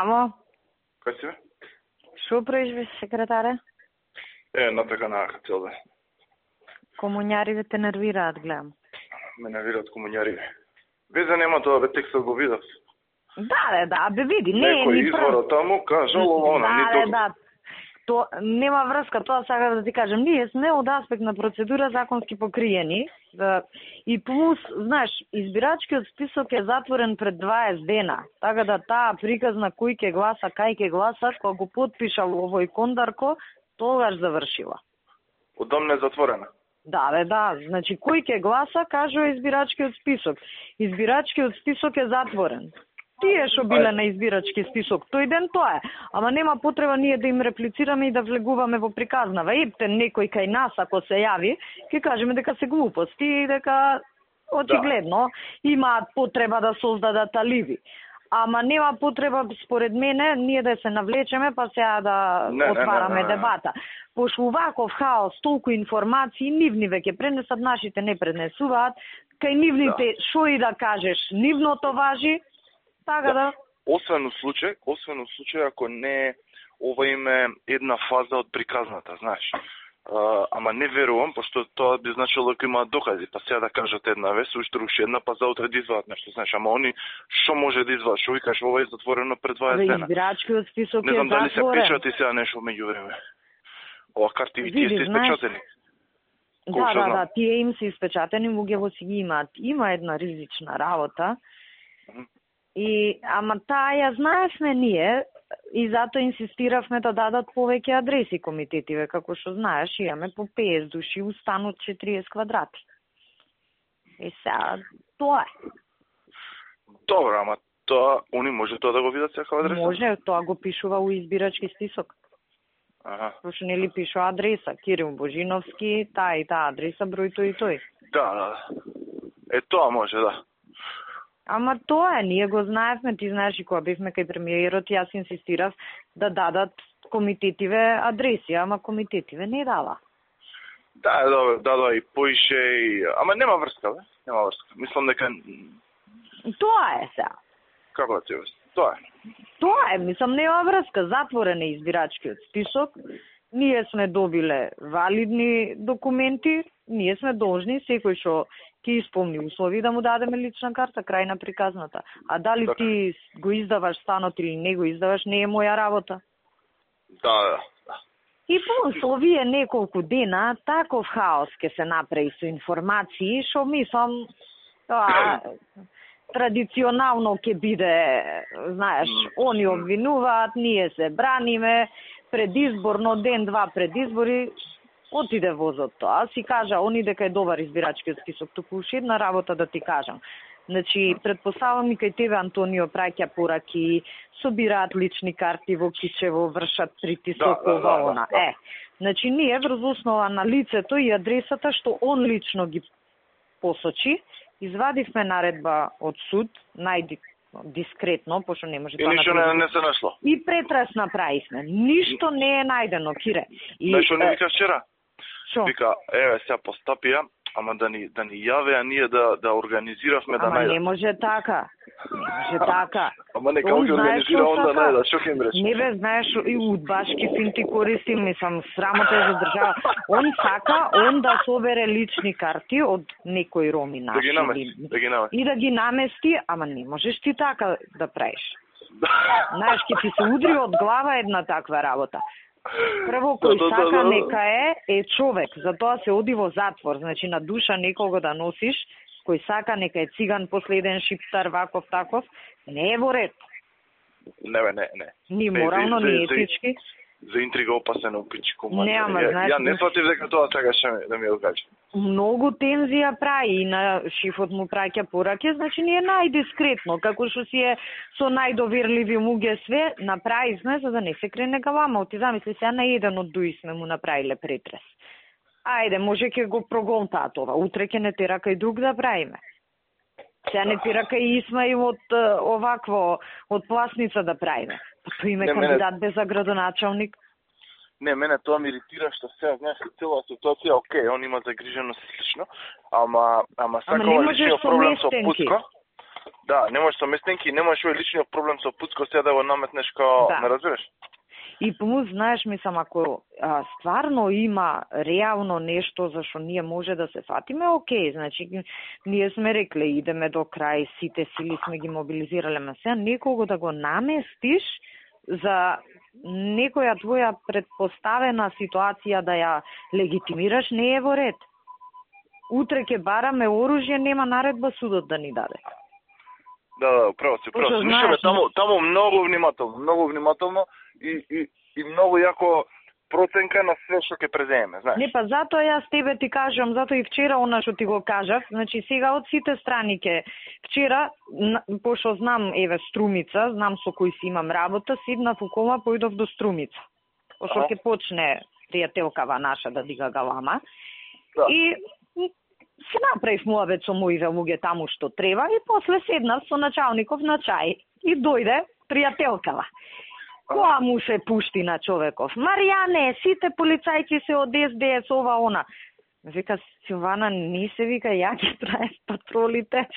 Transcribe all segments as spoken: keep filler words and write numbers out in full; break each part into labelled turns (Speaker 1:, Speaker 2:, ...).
Speaker 1: Амо?
Speaker 2: Кај си бе?
Speaker 1: Шо правиш, секретаре?
Speaker 2: Е, натака на цел ден.
Speaker 1: Комуњариве те нервираат, гледам.
Speaker 2: Ме нервираат комуњариве. Везе нема тоа, бе, текстот го видав.
Speaker 1: Да, да, да, бе види, не е
Speaker 2: Некој
Speaker 1: ни прв.
Speaker 2: изворот таму кажал ова,
Speaker 1: да,
Speaker 2: ни
Speaker 1: да,
Speaker 2: тук.
Speaker 1: да. То нема врска, тоа сакам да ти кажам. Ние сме од аспект на процедура законски покриени. Да, и плюс, знаеш, избирачкиот список е затворен пред дваесет дена. Така да таа приказна кој ќе гласа, кај ќе гласа, кога го потпишал овој Кондарко, тогаш завршила.
Speaker 2: Одамна е затворена.
Speaker 1: Да, бе, да. Значи, кој ќе гласа, кажува избирачкиот список. Избирачкиот список е затворен. Тие што биле на избирачки список, тој ден тоа е. Ама нема потреба ние да им реплицираме и да влегуваме во приказнава. Епте, некој кај нас, ако се јави, ќе кажеме дека се глупости и дека очигледно да. Имаат потреба да создадат алиби. Ама нема потреба, според мене, ние да се навлечеме, па сега да
Speaker 2: не,
Speaker 1: отвараме
Speaker 2: не, не, не, не.
Speaker 1: дебата. Пошто ваков хаос, толку информации, нивни веќе пренесат, нашите не пренесуваат. Кај нивните, шо да. И да кажеш, нивното важи, така да. да.
Speaker 2: Освен у случај, освен у случај ако не ова име една фаза од приказната, знаеш. Uh, ама не верувам, пошто тоа би значило дека имаат докази, па сега да кажат една вест, уште руши една, па заутре да извадат нешто, знаеш, ама они што може да извадат, што викаш, ова е затворено пред дваесет дена.
Speaker 1: Избирачкиот список е затворен.
Speaker 2: Не знам дали се печати сега нешто меѓу време. Ова карти и тие се испечатени.
Speaker 1: Да, да, да, тие им се испечатени, луѓето си ги имаат. Има една ризична работа. Mm-hmm. И ама таа ја знаевме ние, и затоа инсистиравме да дадат повеќе адреси комитетиве, како што знаеш, имаме по песет души, устанот четириесет квадрати. И сега, тоа е.
Speaker 2: Добро, ама тоа, они може тоа да го видат секоја адреса?
Speaker 1: Може, тоа го пишува у избирачки список.
Speaker 2: Аха.
Speaker 1: Пошто нели пишува адреса, Кирил Божиновски, таа и таа адреса, број тој и тој.
Speaker 2: Да, да, да. Е, тоа може, да.
Speaker 1: Ама тоа е, ние го знаевме, ти знаеш и кога бевме кај премиерот, јас инсистирав да дадат комитетиве адреси, ама комитетиве не дава.
Speaker 2: Да, да, да, да, и поише, и... ама нема врска, бе, нема врска. Мислам дека...
Speaker 1: Тоа е сега.
Speaker 2: Како да ти врска? Тоа е.
Speaker 1: Тоа е, мислам, нема врска. Затворен е избирачкиот список. Ние сме добиле валидни документи, ние сме должни, секој што ќе исполни услови да му дадеме лична карта, крај на приказната. А дали
Speaker 2: так.
Speaker 1: Ти го издаваш станот или не го издаваш, не е моја работа.
Speaker 2: Да, да, да.
Speaker 1: И плюс овие неколку дена, таков хаос ќе се направи со информации, што мислам, тоа традиционално ќе биде, знаеш, они обвинуваат, ние се браниме, предизборно ден-два пред избори, отиде возот тоа. Си кажа, они дека е добар избирачкиот список, туку уште една работа да ти кажам. Значи, предпоставам и кај тебе, Антонио, праќа пораки, собираат лични карти во Кичево, вршат притисок,
Speaker 2: да,
Speaker 1: ова,
Speaker 2: да,
Speaker 1: она.
Speaker 2: Да, да.
Speaker 1: Е, значи, ние врз основа на лицето и адресата, што он лично ги посочи, извадивме наредба од суд, најди дискретно, пошто не може
Speaker 2: и тоа ништо не, не се нашло.
Speaker 1: И претрес направивме. Ништо не е најдено, Кире.
Speaker 2: И нешто не вика вчера?
Speaker 1: Шо?
Speaker 2: Вика, еве сега постапија, ама да ни да ни јавеа ние да да организиравме да најдат.
Speaker 1: Ама не може така. Не може така.
Speaker 2: Ама нека ги организира он да најдат, што ќе им рече?
Speaker 1: Не бе, знаеш, и удбашки финти користи, мислам, срамота е за држава. Он сака, он да собере лични карти од некој роми наши.
Speaker 2: Да ги намести, да ги намести.
Speaker 1: И да ги намести, ама не можеш ти така да правиш. Знаеш, ќе ти се удри од глава една таква работа. Прво, кој
Speaker 2: да, да,
Speaker 1: сака
Speaker 2: да, да.
Speaker 1: нека е, е човек, затоа се оди во затвор, значи на душа некого да носиш, кој сака нека е циган, последен шиптар, ваков, таков, не е во ред.
Speaker 2: Не, бе, не, не.
Speaker 1: Ни морално,
Speaker 2: за,
Speaker 1: ни
Speaker 2: за,
Speaker 1: етички.
Speaker 2: За интрига опасен опичко.
Speaker 1: Не, ама,
Speaker 2: ја,
Speaker 1: знаеш...
Speaker 2: Ја не сватив дека тоа сакаше да ми го каже.
Speaker 1: Многу тензија прави и на шифот му праќа пораки, значи не е најдискретно, како што си е со најдоверливи луѓе све, направивме за да не се крене галама. Ти замисли сега на еден од дуи сме му направиле претрес. Ајде, може ќе го прогонтаа това, утре ќе не тера кај друг да правиме. Сега не тера кај Исмаил од овакво, од Пласница да правиме. Па тој име кандидат без за градоначалник.
Speaker 2: Не, мене тоа ми иритира што сега, знаеш, цела ситуација, окей, он има загриженост и слично, ама ама сакава личниот проблем со Путко. Да, не можеш со местенки, не можеш овој личниот проблем со Пуцко сега да го наметнеш као,
Speaker 1: да.
Speaker 2: Не разбираш?
Speaker 1: И помус, знаеш, мислам, ако а, стварно има реално нешто за што ние може да се фатиме, окей, значи, ние сме рекле, идеме до крај, сите сили сме ги мобилизирале, ма сега некого да го наместиш за некоја твоја предпоставена ситуација да ја легитимираш, не е во ред. Утре ќе бараме оружје, нема наредба судот да ни даде.
Speaker 2: Да, да, право си, право си. Мислиме таму, таму многу внимателно, многу внимателно и, и, и многу јако проценка на све што ќе преземеме, знаеш.
Speaker 1: Не, па затоа јас тебе ти кажам, затоа и вчера она што ти го кажав, значи сега од сите страни ке вчера, пошто знам, еве, Струмица, знам со кој си имам работа, седнав у кома, поидов до Струмица. Пошто ќе почне пријателкава наша да дига галама. Да. И се направив муабет со моите луѓе таму што треба и после седнав со началников на чај и дојде пријателкава. Која му се пушти на човеков? Маријане, сите полицајци се од Ес Де Ес, ова, она. Вика, Силвана, не се вика, ја ги траеш патролите.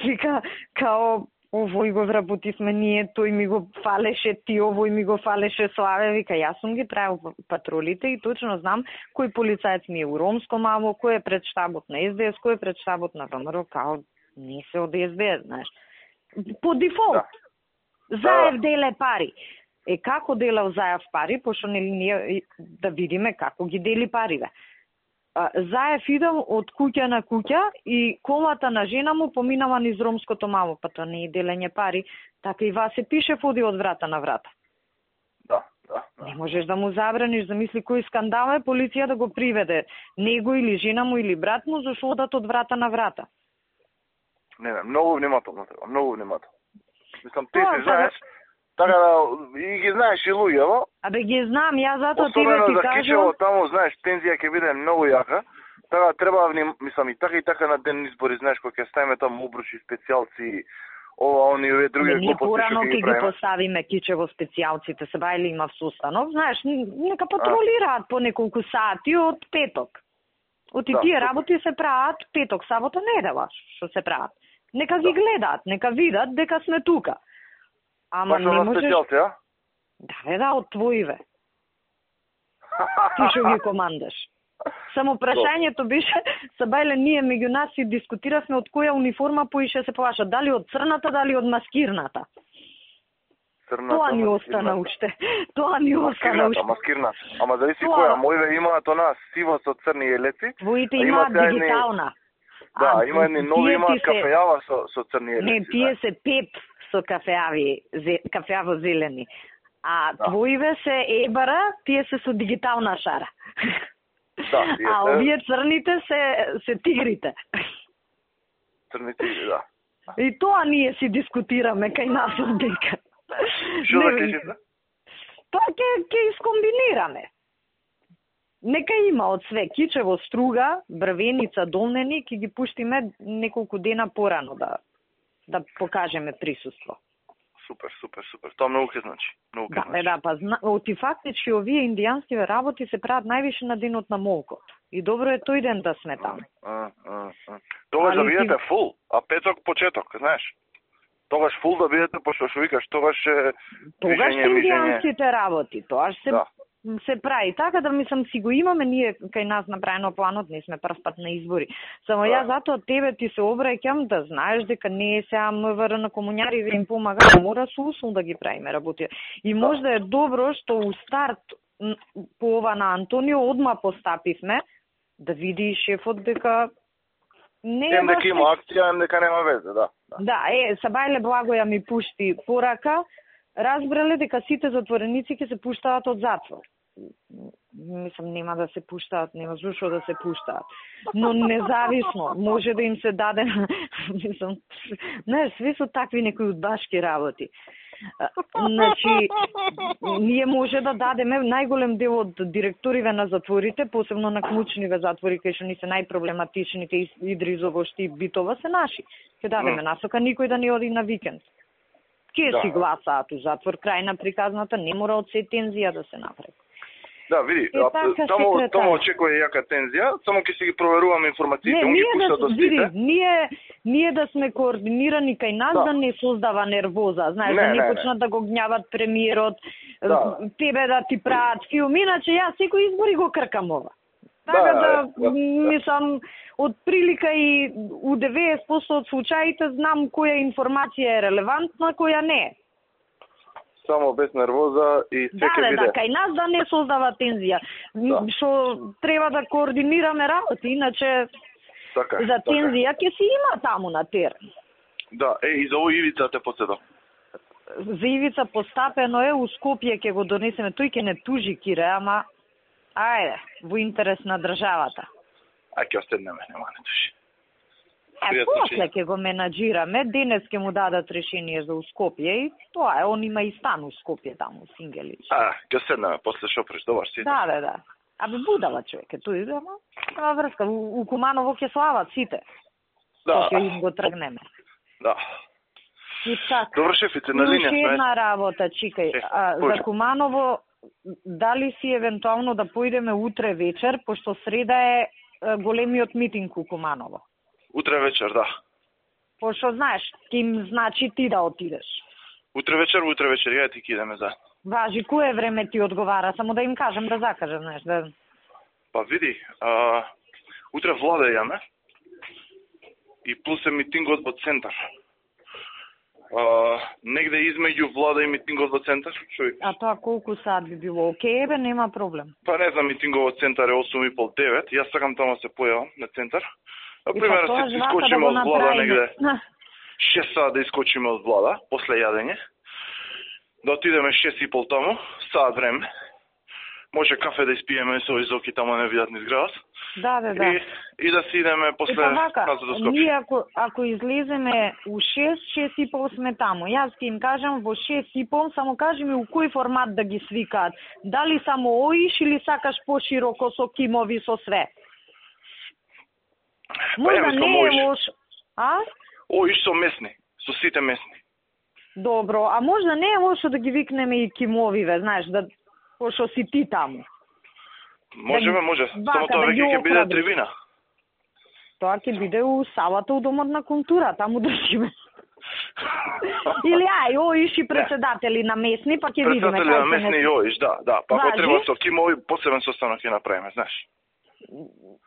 Speaker 1: Вика, као, овој го вработивме ние, тој ми го фалеше ти, овој ми го фалеше Славе. Вика, јас сум ги траел патролите и точно знам кој полицајец ми е у Ромско мамо, кој е пред штабот на Ес Де Ес, кој е пред штабот на ВМРО, као, не се од Ес Де Ес, знаеш. По дефолт. Да. Заев деле пари. Е, како делав Заев пари, пошто нели ние да видиме како ги дели париве. Заев идам од куќа на куќа и колата на жена му поминава низ Ромското мамо, па тоа не е делење пари, така и вас се пише води од врата на врата.
Speaker 2: Да, да, да.
Speaker 1: Не можеш да му забраниш, замисли кој скандал е, полиција да го приведе него или жена му или брат му, зашто одат од врата на врата.
Speaker 2: Не, не, многу внимателно треба, многу внимателно. Мислам, ти си знаеш, така да, и ги знаеш и луѓето.
Speaker 1: Абе ги знам, ја затоа ти да ти
Speaker 2: кажам.
Speaker 1: кажам.
Speaker 2: Кичево таму, знаеш, тензија ќе биде многу јака. Така треба, мислам, и така и така на ден избори, знаеш, кога ќе ставиме таму обручи специјалци, ова, они, овие други
Speaker 1: глупости што ќе ги правиме. Ние порано ќе ги поставиме кичево специјалците, се бајли има состанов, знаеш, нека патролираат а. по неколку сати од петок. Од и да, тие работи се прават петок, сабота, недела, што се прават. Нека ги да. гледаат, нека видат дека сме тука. Ама не можеш... Специјалци, а? Да, бе, да, од твоиве. Ти што ги командаш. Само прашањето беше, Сабајле, ние меѓу нас и дискутиравме од која униформа поише се поваша, дали од црната, дали од маскирната.
Speaker 2: Црната,
Speaker 1: тоа ни остана уште. Тоа ни остана уште.
Speaker 2: Маскирната, ама зависи тоа... која. Моиве имаат она сиво со црни елеци.
Speaker 1: Твоите имаат дигитална.
Speaker 2: Да,
Speaker 1: а,
Speaker 2: има едни нови имаат се... кафејава со, со црни елеци.
Speaker 1: Не, тие да. се пеп со кафеави, зе, кафеаво зелени. А да. твоиве се ебара, тие се со дигитална шара. Да, а овие црните се, се тигрите.
Speaker 2: Црни тигри, да.
Speaker 1: И тоа ние си дискутираме кај нас од дека.
Speaker 2: Што да кажете?
Speaker 1: Тоа ќе ќе искомбинираме. Нека има од све, кичево, струга, брвеница, долнени, ќе ги пуштиме неколку дена порано да да покажеме присуство.
Speaker 2: Супер, супер, супер. Тоа многу ќе значи. Многу ќе
Speaker 1: да,
Speaker 2: значи.
Speaker 1: Да, па зна... оти фактички овие индијанскиве работи се прават највише на денот на молкот. И добро е тој ден да сме таму.
Speaker 2: А, а, а. Тогаш да бидете фул, а петок почеток, знаеш. Тогаш фул да бидете, пошто што викаш, тогаш е
Speaker 1: Тогаш индијанските работи, тоа се
Speaker 2: да.
Speaker 1: се прави така да мислам си го имаме ние кај нас направено планот, не сме прв пат на избори. Само да. Ја затоа тебе ти се обраќам да знаеш дека не е сега МВР на комуњари да им помага, мора со усул да ги правиме работи. И да. Можда е добро што у старт по ова на Антонио одма постапивме да види шефот дека не е
Speaker 2: ем дека има акција, ем дека нема везе, да.
Speaker 1: Да, да е, Сабајле Благоја ми пушти порака, разбрале дека сите затвореници ќе се пуштаат од затвор. Мислам, нема да се пуштаат, нема зашо да се пуштаат. Но независно, може да им се даде, мислам, не, све со такви некои удбашки работи. Значи, ние може да дадеме најголем дел од директориве на затворите, посебно на клучниве затвори, кај што ни се најпроблематичните, Идризово, Штип, Битова, се наши. Ќе дадеме насока, никој да не оди на викенд. Ке да. си гласаат у затвор, крај на приказната, не мора од се тензија да се направи.
Speaker 2: Да, види, таму таму очекува јака тензија, само ќе си ги проверуваме информациите,
Speaker 1: не,
Speaker 2: он ги пушта
Speaker 1: да,
Speaker 2: до сите.
Speaker 1: Види, ние ние да сме координирани кај нас да, да не создава нервоза, знаеш, не, да не, не почнат не. Да го гнјават премиерот, да. Тебе да ти прават филм, иначе јас секој избори го кркам ова. Така да, да, да, мислам, од прилика и у деветдесет проценти од случаите знам која информација е релевантна, која не е.
Speaker 2: Само без нервоза и секој
Speaker 1: да,
Speaker 2: биде.
Speaker 1: Да, кај нас да не создава тензија. Што да. Треба да координираме работи, иначе така, за тензија ќе си има таму на терен.
Speaker 2: Да, е, и за овој Ивица те подседам.
Speaker 1: За Ивица постапено е, у Скопје ќе го донесеме, тој ќе не тужи Кире, ама ајде, во интерес на државата.
Speaker 2: А ќе остеднеме, нема не тужи.
Speaker 1: Е, после ќе го менаџираме, денес ќе му дадат решение за Скопје и тоа е, он има и стан у Скопје таму, Сингелич.
Speaker 2: А, ќе седнеме после шо преш, добар си.
Speaker 1: Да, да, да. Абе будала човек, е тој, ама нема врска, у, у Куманово ќе слават сите.
Speaker 2: Да.
Speaker 1: Ќе им го тргнеме.
Speaker 2: Да.
Speaker 1: И така.
Speaker 2: Добро, шефице, на линија сме.
Speaker 1: Уште една работа, чикај, е, а, за Куманово, дали си евентуално да поидеме утре вечер, пошто среда е големиот митинг у Куманово?
Speaker 2: Утре вечер, да.
Speaker 1: Пошто знаеш, ќе им значи ти да отидеш.
Speaker 2: Утре вечер, утре вечер, ја ти кидеме за.
Speaker 1: Важи, кое време ти одговара, само да им кажем да закажем, знаеш, да...
Speaker 2: Па види, а, утре влада јаме и плюс е митингот во центар. А, негде измеѓу влада и митингот во центар, човек.
Speaker 1: А тоа колку саат би било? Океј, бе, нема проблем.
Speaker 2: Па не знам, митингот во центар е осум и пол девет, јас сакам таму се појавам на центар. Пример,
Speaker 1: па
Speaker 2: се искочиме да од влада негде шест саат да искочиме од влада, после јадење. Да отидеме шест и пол таму, саат време. Може кафе да испиеме со изоки таму не видат низ градот.
Speaker 1: Да, да, да.
Speaker 2: И, и да си идеме после назад до Скопје.
Speaker 1: Ние ако, ако излеземе у шест, шест и пол сме таму. Јас ќе им кажам во шест и пол, само кажи ми у кој формат да ги свикаат. Дали само оиш или сакаш пошироко со кимови, со све? Може да не е лош. А?
Speaker 2: Оиш со месни, со сите месни.
Speaker 1: Добро, а може да не е лошо да ги викнеме и кимовиве, знаеш, да пошто си ти таму.
Speaker 2: Можеме,
Speaker 1: да
Speaker 2: може.
Speaker 1: Бака,
Speaker 2: Само тоа
Speaker 1: да
Speaker 2: веќе ќе биде трибина.
Speaker 1: Тоа ќе биде у салата у Домот на култура, таму држиме. Или ај, оиш и председатели на месни, па ќе видиме.
Speaker 2: Председатели на месни и оиш, да, да. Па ако треба со кимови, посебен состанок ќе направиме, знаеш.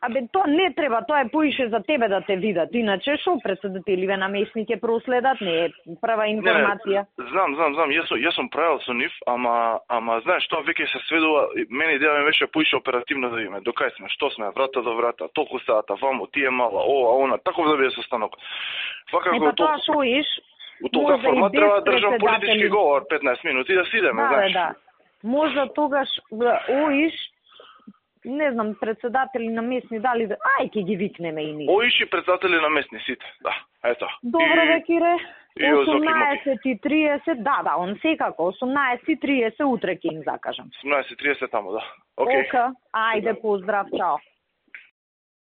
Speaker 1: Абе, тоа не треба, тоа е поише за тебе да те видат. Иначе, шо председателиве на месни ќе проследат, не е прва информација.
Speaker 2: Не, не, знам, знам, знам, јас, јас сум правил со нив, ама, ама знаеш, тоа веќе се сведува, мене идеја ми беше поише оперативно да видиме, до кај сме, што сме, врата до врата, толку сата, вамо, тие мала, ова, она, таков да биде состанок.
Speaker 1: Фака, не, па тоа шо иш,
Speaker 2: у толка формат треба да држам политички говор, петнаесет минути да си идеме,
Speaker 1: да,
Speaker 2: знаеш.
Speaker 1: Да, да, можда тогаш, оиш, не знам, председатели на месни, дали да... Ај, ќе ги викнеме и ние.
Speaker 2: Оиш и председатели на месни, сите, да, ето.
Speaker 1: Добро, ве, Кире. осумнаесет и триесет, да, да, он секако, осумнаесет и триесет утре ќе им закажам.
Speaker 2: осумнаесет и триесет тамо, да. Океј.
Speaker 1: Ока, ајде, поздрав, чао.